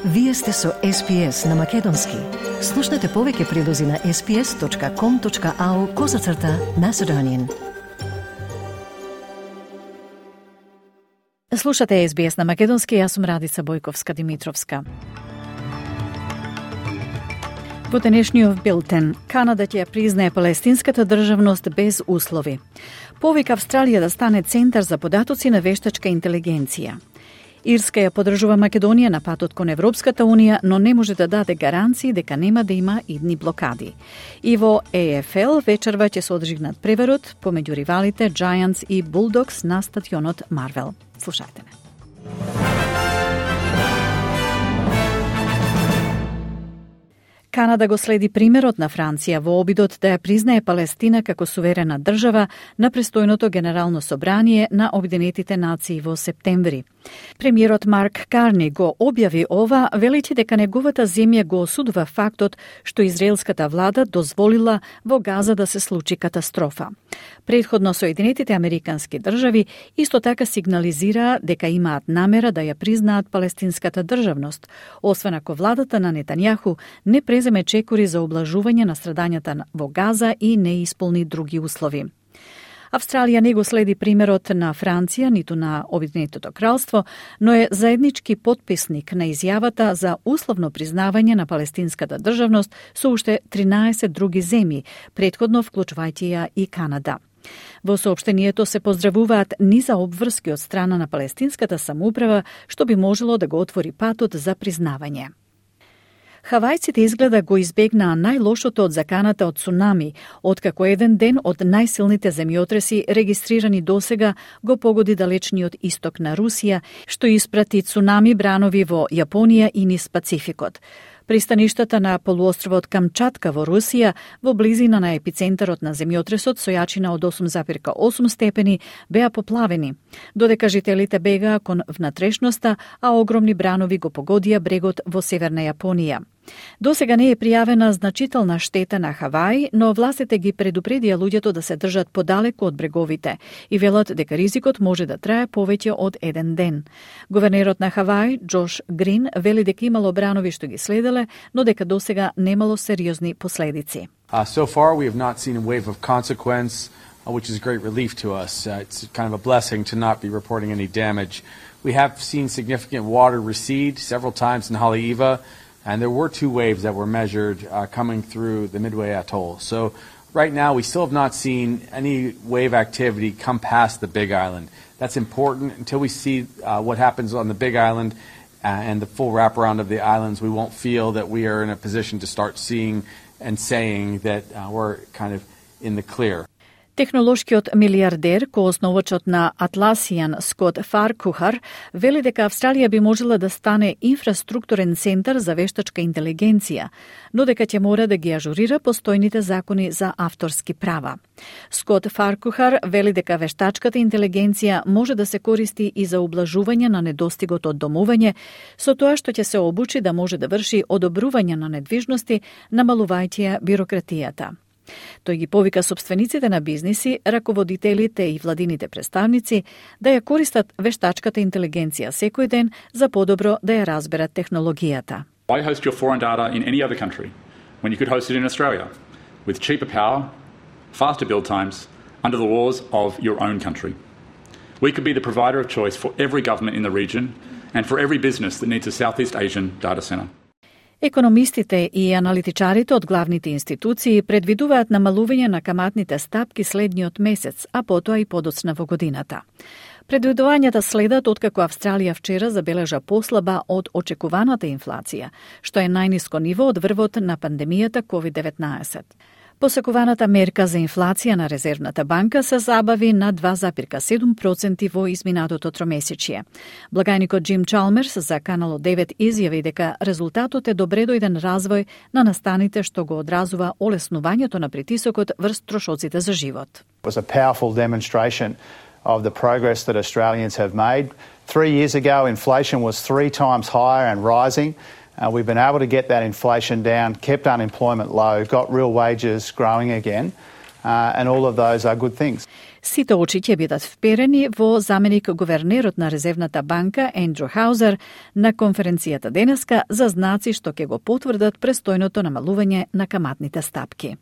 Вие сте со SPS на Македонски. Слушнете повеќе прилози на sps.com.au/Macedonian. Слушате SBS на Македонски, јас сум Радица Бојковска-Димитровска. Во денешниот билтен, Канада ќе признае палестинската државност без услови. Повика Австралија да стане центар за податоци на вештачка интелигенција. Ирска ја поддржува Македонија на патот кон Европската Унија, но не може да даде гаранции дека нема да има идни блокади. И во AFL вечерва ќе се одржи надпреварот помеѓу ривалите Giants и Bulldogs на стадионот Марвел. Слушајте ме. Канада го следи примерот на Франција во обидот да ја признае Палестина како суверена држава на престојното Генерално собрание на Обединетите нации во септември. Премиерот Марк Карни го објави ова, велејќи дека неговата земја го осудува фактот што израелската влада дозволила во Газа да се случи катастрофа. Претходно Соединетите Американски држави исто така сигнализираа дека имаат намера да ја признаат палестинската државност, освен ако владата на Нетањаху не преземе чекори за облажување на страдањата во Газа и не исполни други услови. Австралија не го следи примерот на Франција, ниту на Обединетото кралство, но е заеднички потписник на изјавата за условно признавање на палестинската државност со уште 13 други земји, претходно вклучувајќи ја и Канада. Во соопштението се поздравуваат низа обврски од страна на палестинската самоуправа, што би можело да го отвори патот за признавање. Хавајците изгледа го избегнаа најлошото од заканата од цунами, откако еден ден од најсилните земјотреси регистрирани досега го погоди далечниот исток на Русија, што испрати цунами бранови во Јапонија и низ Пацификот. Пристаништата на полуостровот Камчатка во Русија, во близина на епицентарот на земјотресот со јачина од 8,8 степени, беа поплавени, додека жителите бегаа кон внатрешноста, а огромни бранови го погодија брегот во северна Јапонија. Досега не е пријавена значителна штета на Хавај, но властите ги предупредија луѓето да се држат подалеку од бреговите и велат дека ризикот може да трае повеќе од еден ден. Гувернерот на Хавај, Джош Грин, вели дека имало бранови што ги следеле, но дека досега немало сериозни последици. So far we have not seen a wave of consequence, which is a great relief to us. It's kind of a blessing to not be reporting any damage. We have seen significant water recede several times in Haleiwa, and there were 2 waves that were measured coming through the Midway Atoll. So right now we still have not seen any wave activity come past the Big Island. That's important. Until we see what happens on the Big Island and the full wraparound of the islands, we won't feel that we are in a position to start seeing and saying that we're kind of in the clear. Технолошкиот милиардер, коосновачот на Atlassian Скот Фаркухар, вели дека Австралија би можела да стане инфраструктурен центар за вештачка интелигенција, но дека ќе мора да ги ажурира постојните закони за авторски права. Скот Фаркухар вели дека вештачката интелигенција може да се користи и за ублажување на недостигот од домување, со тоа што ќе се обучи да може да врши одобрување на недвижности, намалувајќи ја бирократијата. Тој ги повика собствениците на бизниси, раководителите и владините представници да ја користат вештачката интелигенција секој ден за подобро да ја разберат технологијата. Why host your foreign data in any other country when you could host it in Australia with cheaper power, faster build times, under the laws of your own country? We could be the provider of choice for every government in the region and for every business that needs a Southeast Asian data center. Економистите и аналитичарите од главните институции предвидуваат намалување на каматните стапки следниот месец, а потоа и подоцна во годината. Предвидувањата следат откако Австралија вчера забележа послаба од очекуваната инфлација, што е најниско ниво од врвот на пандемијата COVID-19. Посекуваната мерка за инфлација на Резервната банка се забави на 2,7% во изминатото тромесечје. Благајникот Джим Чалмерс за Канал 9 изјави дека резултатот е добредојден развој на настаните што го одразува олеснувањето на притисокот врз трошоците за живот. It was a powerful demonstration of the progress that Australians have made. 3 years ago, inflation was 3 times higher and rising. We've been able to get that inflation down, kept unemployment low, got real wages growing again, and all of those are good things. Сите очи ќе бидат вперени во заменик гувернерот на Резервната банка Ендрю Хаузер на конференцијата денеска за знаци што ќе го потврдат престојното намалување на каматните стапки.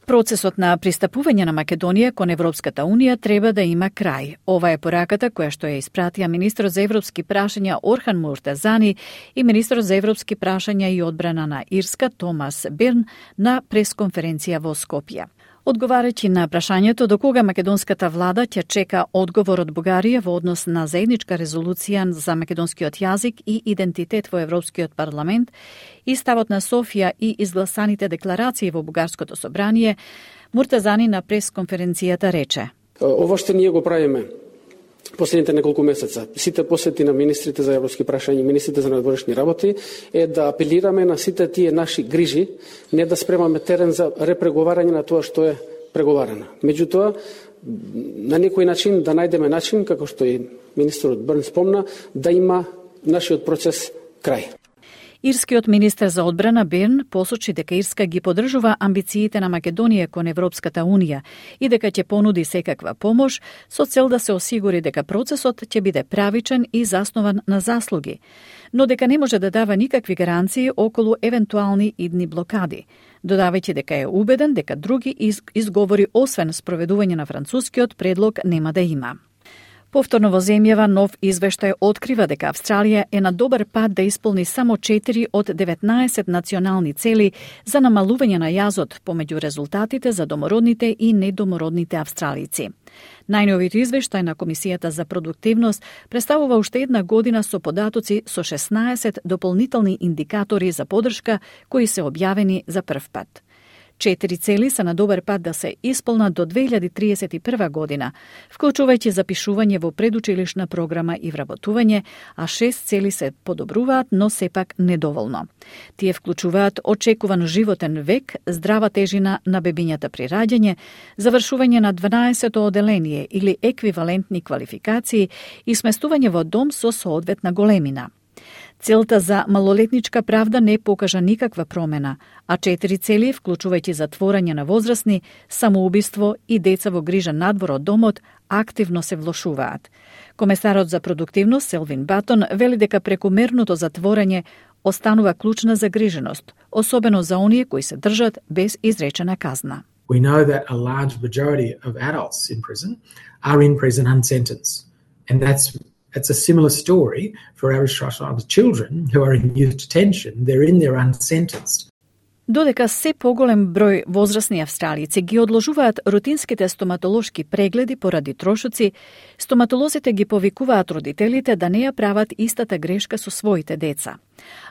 Процесот на пристапување на Македонија кон Европската Унија треба да има крај. Ова е пораката која што ја испратија министрот за европски прашања Орхан Муртазани и министрот за европски прашања и одбрана на Ирска Томас Бирн на пресконференција во Скопје. Одговарајќи на прашањето до кога македонската влада ќе чека одговор од Бугарија во однос на заедничка резолуција за македонскиот јазик и идентитет во Европскиот парламент и ставот на Софија и изгласаните декларации во Бугарското собрание, Муртазани на пресконференцијата рече: Ова што ние го правиме последните неколку месеца, сите посети на министрите за европски прашања и министрите за надворешни работи, е да апелираме на сите тие наши грижи, не да спремаме терен за репреговарање на тоа што е преговарано. Меѓутоа, на некој начин да најдеме начин, како што и министерот Бирн спомна, да има нашиот процес крај. Ирскиот министер за одбрана Бирн посочи дека Ирска ги поддржува амбициите на Македонија кон Европската Унија и дека ќе понуди секаква помош со цел да се осигури дека процесот ќе биде правичен и заснован на заслуги, но дека не може да дава никакви гаранции околу евентуални идни блокади, додавајќи дека е убеден дека други изговори освен спроведување на францускиот предлог нема да има. Повторно во земјава нов извештај открива дека Австралија е на добар пат да исполни само 4 од 19 национални цели за намалување на јазот помеѓу резултатите за домородните и недомородните австралици. Најновиот извештај на Комисијата за продуктивност представува уште една година со податоци со 16 дополнителни индикатори за поддршка кои се објавени за прв пат. 4 цели се на добар пат да се исполнат до 2031 година, вклучувајќи запишување во предучилишна програма и вработување, а 6 цели се подобруваат, но сепак недоволно. Тие вклучуваат очекуван животен век, здрава тежина на бебињата при раѓање, завршување на 12-то оделение или еквивалентни квалификации и сместување во дом со соодветна големина. Целта за малолетничка правда не покажа никаква промена, а 4 цели, вклучувајќи затворање на возрастни, самоубиство и деца во грижа надвор од домот, активно се влошуваат. Комесарот за продуктивност Селвин Батон вели дека прекумерното затворање останува клучна загриженост, особено за оние кои се држат без изречена казна. We know that a large majority of adults in prison unsentenced, and It's a similar story for Aboriginal Torres Strait Islander children who are in youth detention. They're in there unsentenced. Додека се поголем број возрастни австралици ги одложуваат рутинските стоматолошки прегледи поради трошоци, стоматолозите ги повикуваат родителите да не ја прават истата грешка со своите деца.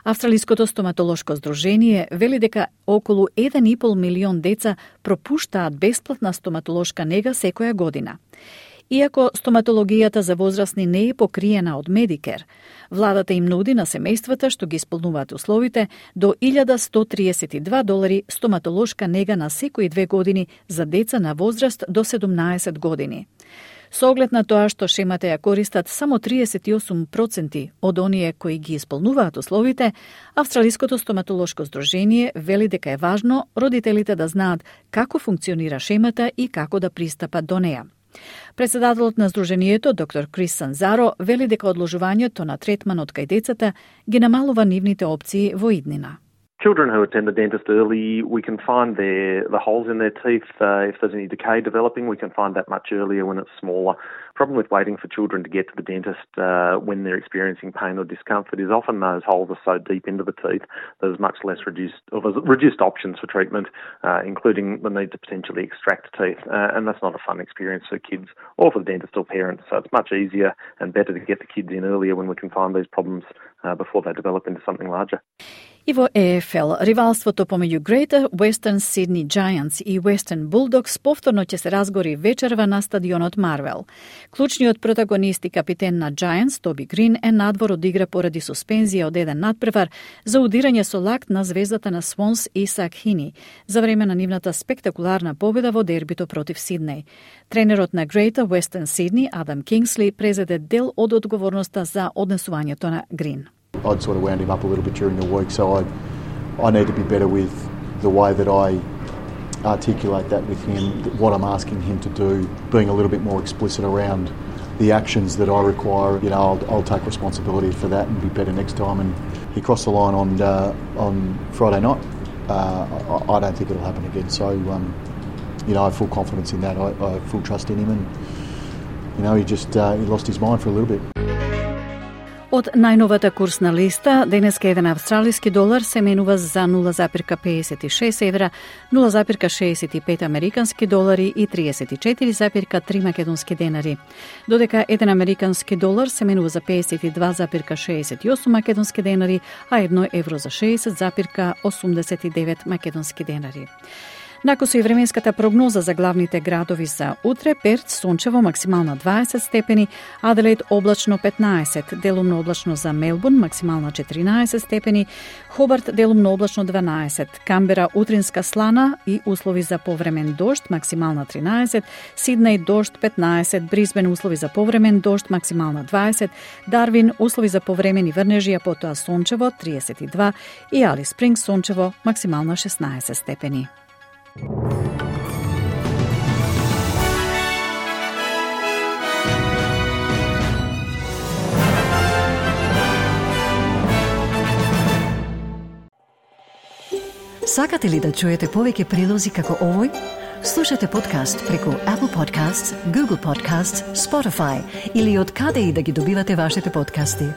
Австралиското стоматолошко здружение вели дека околу 1,5 милион деца пропуштаат бесплатна стоматолошка нега секоја година. Иако стоматологијата за возрастни не е покриена од Медикер, владата им нуди на семејствата што ги исполнуваат условите до $1,132 стоматолошка нега на секои 2 години за деца на возраст до 17 години. Со оглед на тоа што шемата ја користат само 38% од оние кои ги исполнуваат условите, Австралиското стоматолошко здружение вели дека е важно родителите да знаат како функционира шемата и како да пристапат до неа. Председателот на здруженијето, доктор Крис Санзаро, вели дека одложувањето на третманот кај децата ги намалува нивните опции во иднина. Children who attend the dentist early, we can find the holes in their teeth. If there's any decay developing, we can find that much earlier when it's smaller. Problem with waiting for children to get to the dentist when they're experiencing pain or discomfort is often those holes are so deep into the teeth there's much less reduced options for treatment, including the need to potentially extract teeth. And that's not a fun experience for kids or for the dentist or parents. So it's much easier and better to get the kids in earlier when we can find these problems before they develop into something larger. И во ЕФЛ, ривалството помеѓу Greater Western Sydney Giants и Western Bulldogs повторно ќе се разгори вечерва на стадионот Марвел. Клучниот протагонист и капитен на Giants, Тоби Грин, е надвор од игра поради суспензија од еден надпревар за удирање со лакт на звездата на Swans Исак Хини за време на нивната спектакуларна победа во дербито против Сиднеј. Тренерот на Greater Western Sydney, Адам Кингсли, презеде дел од одговорноста за однесувањето на Грин. I'd sort of wound him up a little bit during the week, so I need to be better with the way that I articulate that with him, what I'm asking him to do, being a little bit more explicit around the actions that I require. You know, I'll take responsibility for that and be better next time. And he crossed the line on Friday night. I don't think it'll happen again. So, you know, I have full confidence in that. I have full trust in him, and you know, he lost his mind for a little bit. Од најновата курсна листа, денеска еден австралиски долар се менува за 0,56 евра, 0,65 американски долари и 34,3 македонски денари. Додека еден американски долар се менува за 52,68 македонски денари, а 1 евро за 60,89 македонски денари. Накусо и временската прогноза за главните градови за утре: Перт сончево, максимална 20 степени, Аделаид облачно 15, делумно облачно за Мелбурн, максимална 14 степени, Хобарт делумно облачно 12, Камбера утринска слана и услови за повремен дожд, максимална 13, Сиднеј дожд 15, Брисбен услови за повремен дожд, максимална 20, Дарвин услови за повремени врнежи, а потоа сончево 32 и Алис Спрингс сончево, максимална 16 степени. Сакате ли да чуете повеќе прилози како овој? Слушате подкаст преку Apple Podcasts, Google Podcasts, Spotify или од каде и да ги добивате вашите подкасти.